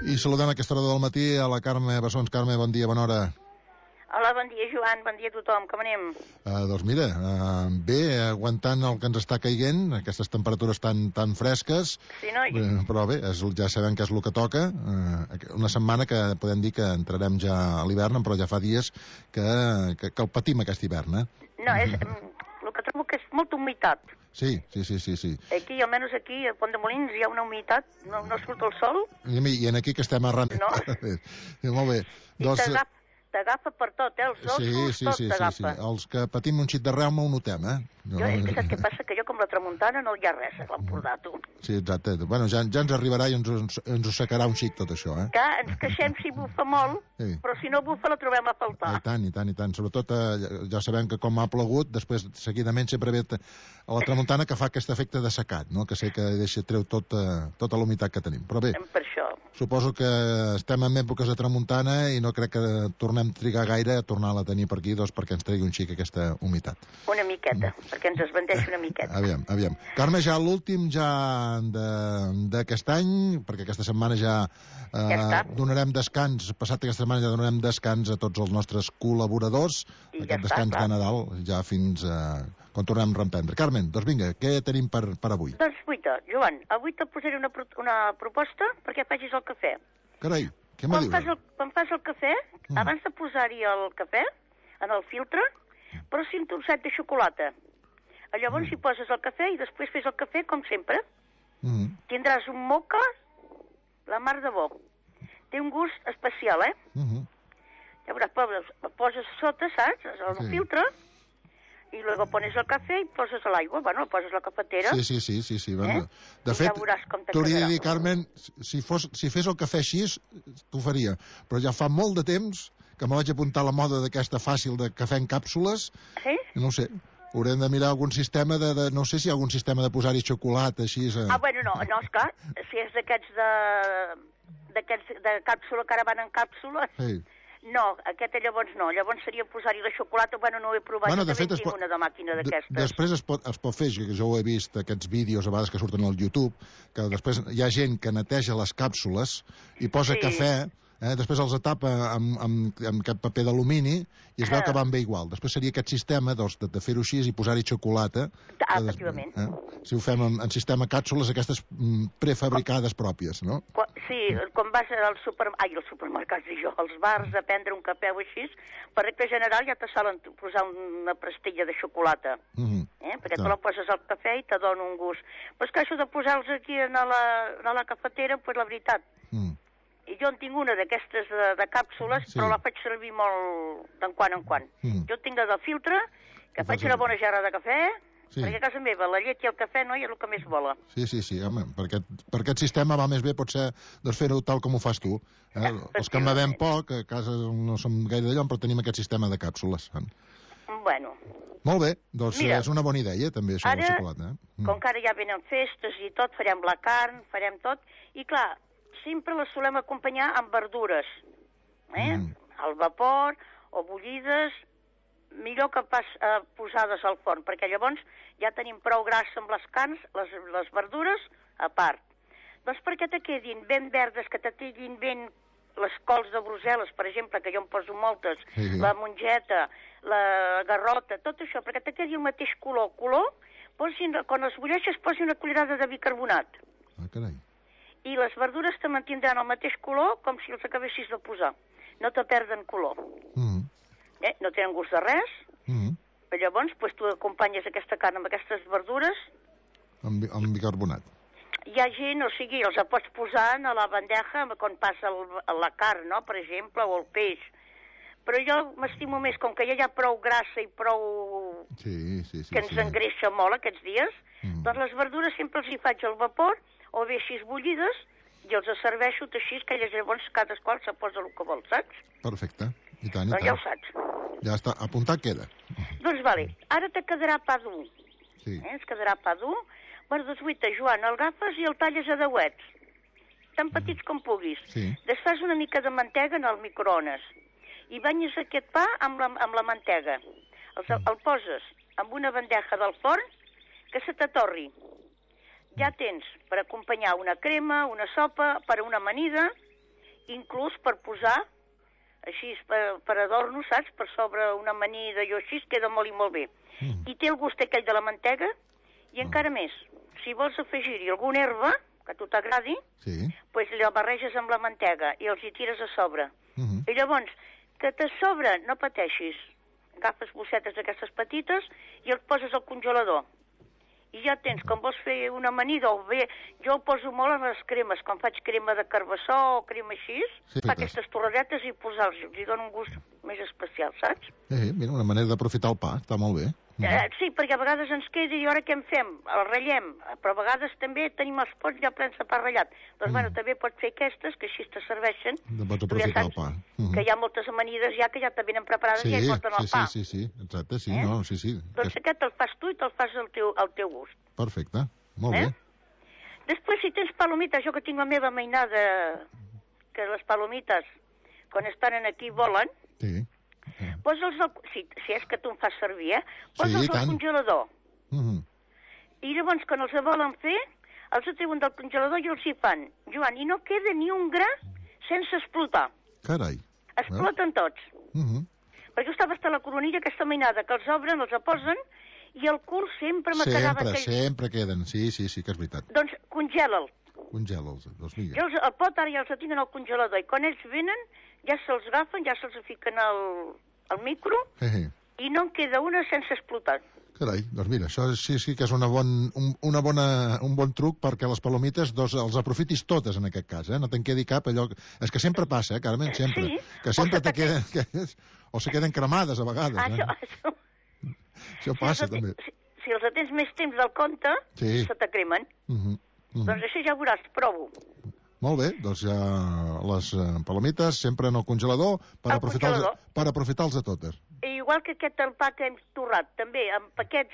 I saludem a aquesta hora del matí a la Carme Bessons. Carme, bon dia, bona hora. Hola, bon dia, Joan, bon dia a tothom, com anem? Doncs mira, bé, aguantant el que ens està caient, aquestes temperatures tan fresques, Sí, noi? però bé, ja sabem que és el que toca. Una setmana que podem dir que entrarem ja a l'hivern, però ja fa dies que el patim aquest hivern, No, és... el que trobo que és molta humitat. Sí. Aquí, almenys aquí, a Pont de Molins, hi ha una humitat, no surt el sol. I en aquí que estem arran... No. Molt bé. I t'agafa per tot, els ossos, tot t'agafa. Sí. Els que patim un xic de reuma ho notem, És que saps què passa? Que jo com la tramuntana no hi ha res a l'Empordà, tu. Sí, exacte. Bueno, ja ens arribarà i ens ho secarà un xic tot això, Que ens queixem si bufa molt, sí. Però si no bufa la trobem a faltar. I tant. Sobretot, ja sabem que com ha plogut, després seguidament sempre ve a la tramuntana que fa aquest efecte de secat, no? Que sé que treu tota la humitat que tenim. Però bé, per això. Suposo que estem en èpoques de tramuntana i no crec que tornem a trigar gaire a tornar-la a tenir per aquí, perquè ens tregui un xic aquesta humitat. Una miqueta, perquè ens esbandeixi una miqueta. Aviam. Carme, ja l'últim d'aquest any, perquè aquesta setmana ja donarem descans, passat aquesta setmana ja donarem descans a tots els nostres col·laboradors, aquest descans de Nadal, ja fins quan tornem a reprendre. Carmen, doncs vinga, què tenim per avui? Doncs guaita, Joan, avui te posaré una proposta perquè facis el cafè. Carai, què me dius? Quan fas el cafè, abans de posar-hi el cafè en el filtre, posi un trosset de xocolata. Llavors hi poses el cafè i després fes el cafè com sempre. Tindràs un moca, la mar de bo. Té un gust especial, Llavors poses sota, saps? El filtre, i luego pones el cafè i poses l'aigua. Bueno, poses la cafetera. Sí. Bueno, de fet, t'hauria de dir, Carmen, si fes el cafè així, t'ho faria. Però ja fa molt de temps que me vaig apuntar a la moda d'aquesta fàcil de cafè en càpsules. Sí? No ho sé. Haurem de mirar algun sistema no sé si hi ha algun sistema de posar-hi xocolata, així... Bueno, no, esclar, si és d'aquests de càpsula, que ara van en càpsula... Sí. No, aquest llavors no. Llavors seria posar-hi la xocolata, no ho he provat, bueno, també tinc una de màquina d'aquestes. Després es pot fer, que jo ho he vist, aquests vídeos a vegades que surten al YouTube, que després hi ha gent que neteja les càpsules i posa cafè, després els tapa amb aquest paper d'alumini i es veu que van bé igual. Després seria aquest sistema de fer-ho així i posar-hi xocolata. Efectivament. Si ho fem en sistema càpsules, aquestes prefabricades pròpies, no? Sí, quan vas als supermercats, als bars a prendre un cafè o així, per regla general ja te solen posar una pastilla de xocolata. Perquè tu la poses al cafè i te dona un gust. Però és que això de posar-los aquí a la cafetera, pues la veritat... I jo en tinc una d'aquestes de càpsules, però la faig servir molt de quan en quan. Jo tinc de filtre, que faig una bona gerra de cafè, perquè a casa meva la llet i el cafè no és el que més vola. Sí, home, per aquest sistema va més bé potser fer-ho tal com ho fas tu. Els que en bevem poc, a casa no som gaire d'allò, però tenim aquest sistema de càpsules. Bueno. Molt bé, doncs mira, és una bona idea també, això de la xocolata. Com que ara ja venen festes i tot, farem la carn, farem tot, i clar, sempre les solem acompanyar amb verdures, al vapor o bullides, millor que pas posades al forn, perquè llavors ja tenim prou grassa amb les carns, les verdures a part. Doncs perquè te quedin ben verdes, que te quedin ben les cols de Brussel·les, per exemple, que jo em poso moltes, la mongeta, la garrota, tot això, perquè te quedi el mateix color. Quan les bulleixes posi una cullerada de bicarbonat. Carai. I les verdures te mantindran el mateix color com si els acabessis de posar. No te perden color. No tenen gust de res. Llavors, tu acompanyes aquesta carn amb aquestes verdures... Amb bicarbonat. Hi ha gent, els pots posar a la bandeja quan passa la carn, no?, per exemple, o el peix. Però jo m'estimo més, com que ja hi ha prou grassa i prou... que ens engreixa molt aquests dies, doncs les verdures sempre els hi faig al vapor, o bé així bullides, i els serveixo així, que llavors cadascú se posa el que vol, saps? Perfecte, i tant, Doncs ja ho saps. Ja està, apuntat queda. Doncs vale, ara te quedarà pa dur. Sí. Ens quedarà pa dur. Bueno, doncs guaita, Joan, el agafes i el talles a deuets, tan petits com puguis. Desfas una mica de mantega en el microones i banyes aquest pa amb la mantega. El poses en una bandeja del forn que se t'atorri. Ja tens per acompanyar una crema, una sopa, per a una amanida, inclús per posar, així, per adorno, saps? Per sobre una amanida i així, queda molt i molt bé. I té el gust aquell de la mantega, i encara més, si vols afegir-hi alguna herba, que a tu t'agradi, doncs la barreges amb la mantega i els hi tires a sobre. I llavors, que te sobre, no pateixis, agafes bossetes d'aquestes petites i els poses al congelador. I ja tens, com vols fer una amanida, o bé, jo ho poso molt a les cremes, quan faig crema de carbassó o crema així, fa aquestes torradetes i posar-los, els dona un gust més especial, saps? Mira, una manera d'aprofitar el pa, està molt bé. Sí, perquè a vegades ens queda i ara què en fem? El ratllem, però a vegades també tenim els pots ja plens de pa ratllat. Doncs, bueno, també pots fer aquestes, que així te serveixen. Pots aprofitar el pa. Que hi ha moltes amanides ja que ja te venen preparades i ja hi porten el pa. Sí, exacte, sí, no, sí. Doncs aquest te'l fas tu i te'l fas al teu gust. Perfecte, molt bé. Després, si tens palomites, jo que tinc la meva mainada, que les palomites, quan estan aquí, volen, posa'ls si és que tu em fas servir, posa'ls al congelador. I llavors, quan els volen fer, els treuen del congelador i els hi fan. Joan, i no queda ni un gra sense explotar. Carai. Exploten tots. Perquè jo estava hasta la coronilla, aquesta mainada, que els obren, els posen, i el cul sempre me quedava aquell... Sempre queden, sí, que és veritat. Doncs congela'l. Congela'ls, doncs mira. Jo el pot ara ja els tinc al congelador, i quan ells venen, ja se'ls agafen, ja se'ls fiquen al micro, i no en queda una sense explotar. Carai, doncs mira, això sí que és un bon truc perquè les palomites els aprofitis totes en aquest cas, no te'n quedi cap allò... És que sempre passa, Carmen, sempre. Que sempre te queden... O se queden cremades a vegades. Això passa, també. Si els atens més temps del compte, se te cremen. Doncs això ja ho veuràs, provo. Molt bé, doncs ja les palomites sempre en el congelador per aprofitar-los a totes. I igual que aquest el pa que hem torrat, també, amb paquets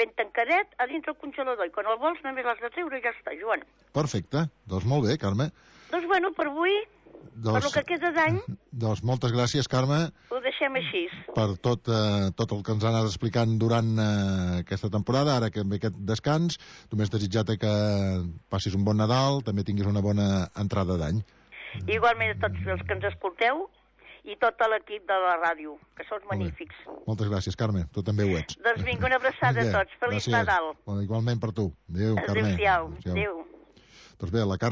ben tancadet a dins del congelador. I quan el vols només l'has de treure i ja està, Joan. Perfecte, doncs molt bé, Carme. Doncs bueno, per avui... Per el que queda d'any... Doncs moltes gràcies, Carme. Ho deixem així. Per tot el que ens ha anat explicant durant aquesta temporada, ara que ve aquest descans. Només desitjar-te que passis un bon Nadal, també tinguis una bona entrada d'any. Igualment a tots els que ens escolteu i tot l'equip de la ràdio, que sou magnífics. Moltes gràcies, Carme. Tu també ho ets. Doncs vinga, una abraçada a tots. Feliç Nadal. Igualment per tu. Adéu, Carme. Adéu-siau. Adéu. Doncs bé, la Carme